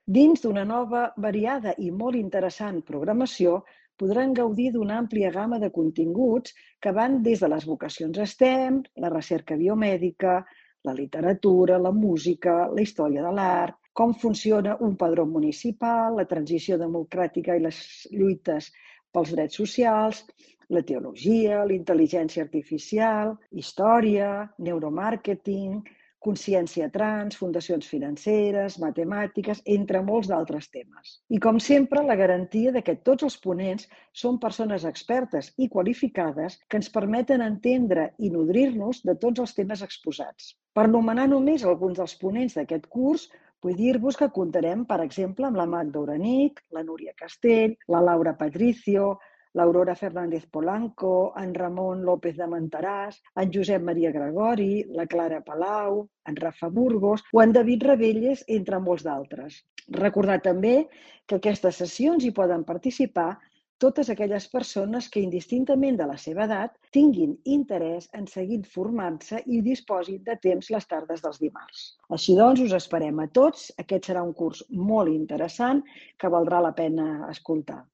Dins d'una nova, variada i molt interessant programació, podran gaudir d'una àmplia gamma de continguts que van des de les vocacions STEM, la recerca biomèdica, la literatura, la música, la història de l'art, com funciona un padró municipal, la transició democràtica i les lluites pels drets socials, la teologia, la intel·ligència artificial, història, neuromàrqueting, consciència trans, fundacions financeres, matemàtiques, entre molts d'altres temes. I com sempre, la garantia de que tots els ponents són persones expertes i qualificades que ens permeten entendre i nodrir-nos de tots els temes exposats. Per anomenar només alguns dels ponents d'aquest curs, vull dir-vos que comptarem, per exemple, amb la Magda Uranic, la Núria Castell, la Laura Patricio, l'Aurora Fernández Polanco, en Ramon López de Menteràs, en Josep Maria Gregori, la Clara Palau, en Rafa Burgos o en David Rebelles, entre molts d'altres. Recordar també que aquestes sessions hi poden participar totes aquelles persones que, indistintament de la seva edat, tinguin interès en seguir formant-se i disposin de temps les tardes dels dimarts. Així doncs, us esperem a tots. Aquest serà un curs molt interessant que valdrà la pena escoltar.